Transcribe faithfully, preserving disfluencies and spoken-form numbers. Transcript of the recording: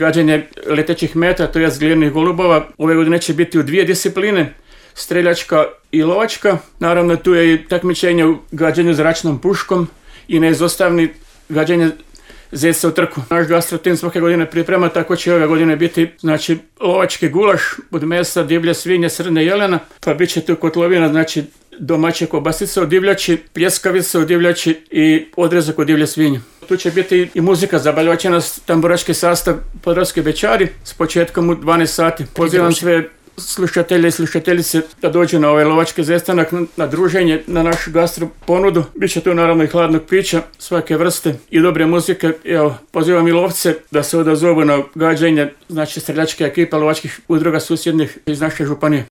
gađanje letećih meta, to je glinjenih golubova. Ove godine će biti u dvije discipline, streljačka i lovačka. Naravno tu je i takmičenje u gađanju zračnom puškom i neizostavni gađanje zeca u trku. Naš gastrotim svake godine priprema, tako će ove godine biti znači lovački gulaš od mesa, divlje svinje, srne, jelena, pa bit će tu kotlovina, znači domaće kobasice od divljači, pljeskavice od divljači i odrezak od divlje svinje. Tu će biti i muzika, zabavljaće nas tamburaški sastav Podravski bećari s početkom u dvanaest sati. Pozivam sve slušatelje i slušateljice da dođu na ovaj lovački zestanak, na druženje, na našu gastro ponudu. Biće tu naravno i hladnog pića svake vrste i dobre muzike. Evo, pozivam i lovce da se odazovu na gađanje, znači streljačke ekipa lovačkih udruga susjednih iz naše županije.